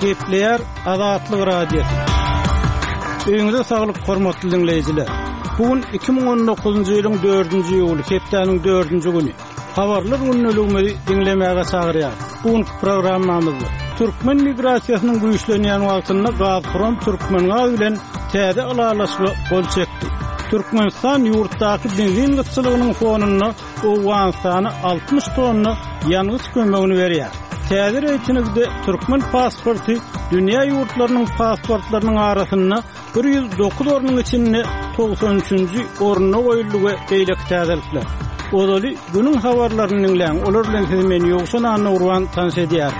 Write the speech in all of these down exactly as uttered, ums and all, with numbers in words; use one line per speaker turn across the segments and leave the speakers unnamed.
Gepleýär Azatlyk Radiosy. Öýüňize saglyk, hormatly diňleýjiler. Bu gün iki müň on dokuzynjy ýylyň dördünji iýuly, hepdäniň dördünji güni. Habarlar gündeligimizi diňlemäge çagyrýar. Bu günki programmamyzda türkmen migrasiýasynyň güýçlenýän wagtynda Gazprom Türkmengaz bilen täze ylalaşyga gol çekdi. Türkmenistan ýurtdaky benzin gytçylygynyň fonunda Owganystana altmyş tonna ýangyç kömegini berýär. Täze reýtingde türkmen pasporty dünýä ýurtlarynyň pasportlarynyň arasynda bir ýüz dokuz ornuň içinde togsan üçünji orunda goýuldy we beýleki täzelikler. Ozaly günüň habarlaryny diňläň, olar bilen sizi men Ýowşan Annagurban tanyş edýär.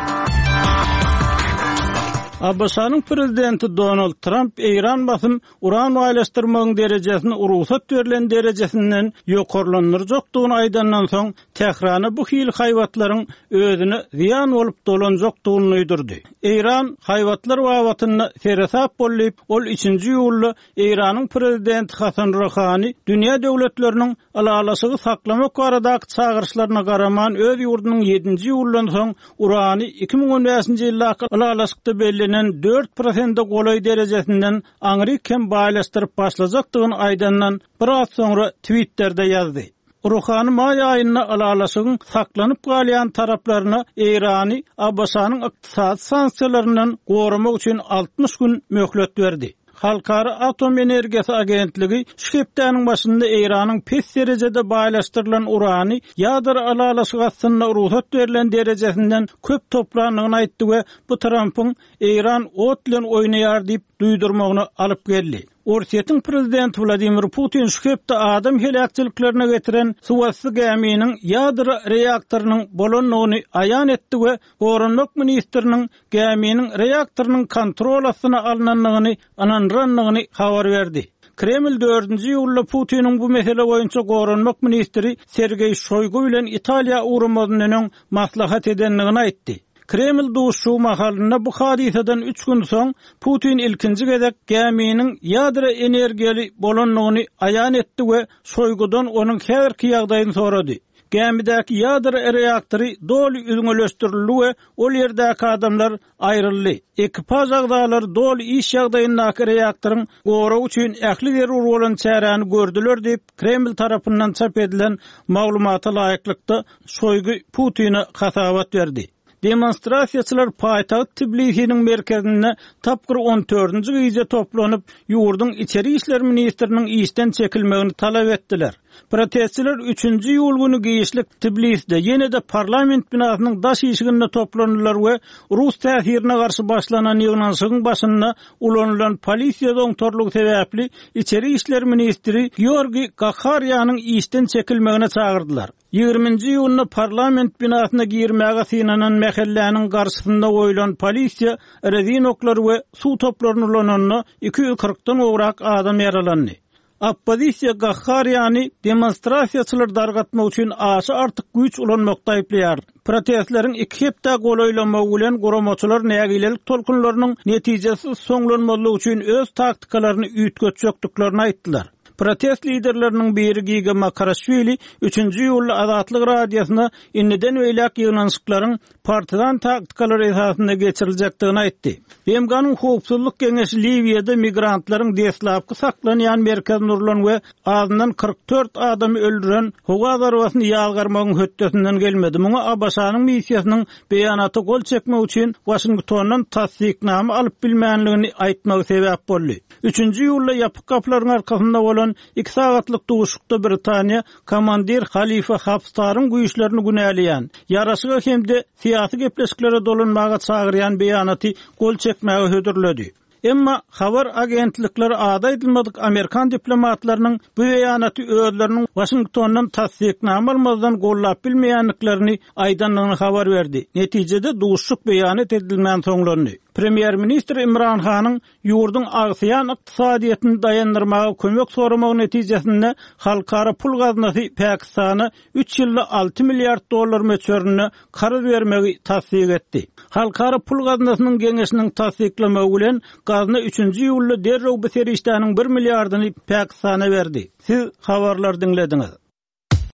A B Ş-nyň prezidenti Donald Trump Eýran basym uran baýlaşdyrmagyň derejesini rugsat berlen derejesinden ýokarlandyrjakdygyny aýdandan soň Tährana bu hil haýbatlaryň özüne zyýan bolup dolanjakdygyny duýdurdy. Eýran haýbatlar babatynda seresap boldy, ol üçünji iýulda Eýranyň prezidenti Hasan Ruhani dünýä döwletleriniň ylalaşygy saklamak baradaky çagyryşlaryna garaman öz ýurdunyň ýedinji iýuldan soň urany iki müň on bäşinji ýyldaky ylalaşykda bellenen dört prosente golaý derejesinden aňryk hem baýlaşdyryp başlajakdygyny aýdandan biraz soňra Twitter'de ýazdy. Ruhani maý aýynda ylalaşygyň saklanyp galýan taraplaryna Eýrany A B Ş-nyň ykdysady sanksiýalaryndan goramak üçin altmyş gün möhlet berdi. Halkara Atom Energiýasy Agentligi şu hepdäniň başynda Eýranyň pes derejede baýlaşdyrylan urany ýadro ylalaşygy astynda rugsat berlen derejesinden köp toplandygyny aýtdy we bu Trumpyň Eýran ot bilen oýnaýar diýip duýdurmagyny alyp geldi. Orsýetiň prezidenti Wladimir Putin şu hepde adam heläkçiliklerine getiren suwasty gäminiň ýadro reaktorynyň bolandygyny aýan etdi we Goranmak ministriniň gäminiň reaktorynyň kontrol astyna alynandygyny ynandyrandygyny habar berdi. Kreml dördünji iýulda Putiniň bu mesele boýunça Goranmak ministri Sergeý Şoýgu bilen Italiýa uğramazyndan öň maslahat edendigini aýtdy. Kreml duşuşygy mahalynda bu hadysadan üç gün soň Putin ilkinji gezek gäminiň ýadro energiýaly bolandygyny aýan etdi we Şoýgudan onuň häzirki ýagdaýyny sorady. Gämidäki ýadro reaktory doly üzňeleşdirildi we ol ýerdäki adamlar aýryldy. Ekipaž agzalary doly iş ýagdaýyndaky reaktoryň goragy üçin ähli zerur bolan çäräni gördüler diýip Kreml tarapyndan çap edilen maglumata laýyklykda Şoýgu Putine hasabat berdi. Demonstrasiýaçylar paýtagt Tbilisiniň merkezinde tapgyr on dördünji gije toplanyp, ýurduň içeri işler ministriniň işden çekilmegini talap etdiler. Protestçiler üçünji iýul günü giçlik Tbilisde ýene-de parlament binasynyň daş işiginde toplandylar we Rus täsirine garşy başlanan ýygnanyşygyň başynda ulanylan polisiýa doňtorlygy sebäpli içeri işler ministri Georgi Gakharýanyň işden çekilmegine çagyrdylar. Ýigriminji iýunda parlament binasyna girmäge synanan mähelläniň garşysynda goýlan polisiýa rezin oklary we suw toplaryny ulananda iki ýüz kyrkdan gowrak adam ýaralandy. Oppozisiýa Gakharýany demonstrasiýaçylar dargatmak üçin aşa artyk güýç ulanmakda aýyplaýar. Protestleriň iki hepde golaýlamagy bilen guramaçylar nägilelik tolkunlarynyň netijesiz soňlanmazlygy üçin öz taktikalaryny üýtgetjekdiklerini aýtdylar. Protest liderleriniň biri Giga Makarashvili üçünji iýulda Azatlyk Radiosyna indiden beýläk ýygnanyşyklaryň partizan taktikalary esasynda geçiriljekdigini aýtdy. B M G-nyň Howpsuzlyk Geňeşi Liwiýada migrantlaryň deslapky saklanýan merkezini urulan we azyndan kyrk dört adamy öldüren howa zarbasyny ýazgarmagyň hötdesinden gelmedi. Muňa A B Ş-nyň missiýasynyň beýanata gol çekmek üçin Washingtondan tassyknama alyp bilmänligini aýtmagy sebäp boldy. Üçünji iýulda ýapyk gapylaryň arkasynda bolan iki sagatlyk duşuşykda Britaniýa komandir Halifa Haftaryň güýçlerini günäleýän, ýaraşyga hem-de syýasy gepleşiklere dolanmaga çagyrýan beýanaty gol çekmäge hödürledi. Emma habar agentlikleri ady aýdylmadyk Amerikan diplomatlarynyň bu beýanaty özleriniň Washingtondan tassyknama almazdan gollap bilmeýändiklerini aýdandygyny habar berdi. Netijede duşuşyk beýanat edilmän soňlandy. Premýer-ministr Imran Hanyň ýurduň agsaýan ykdysadyýetini daýandyrmaga kömek soramagy netijesinde halkara pul gaznasy Pakistana üç ýylda alty milliard dollar möçberinde karz bermegi tassyk etdi. Halkara pul gaznasynyň geňeşiniň tassyklamagy bilen gazna üçünji iýulda derrew bu serişdäniň bir milliardyny Pakistana berdi. Siz habarlar diňlediňiz.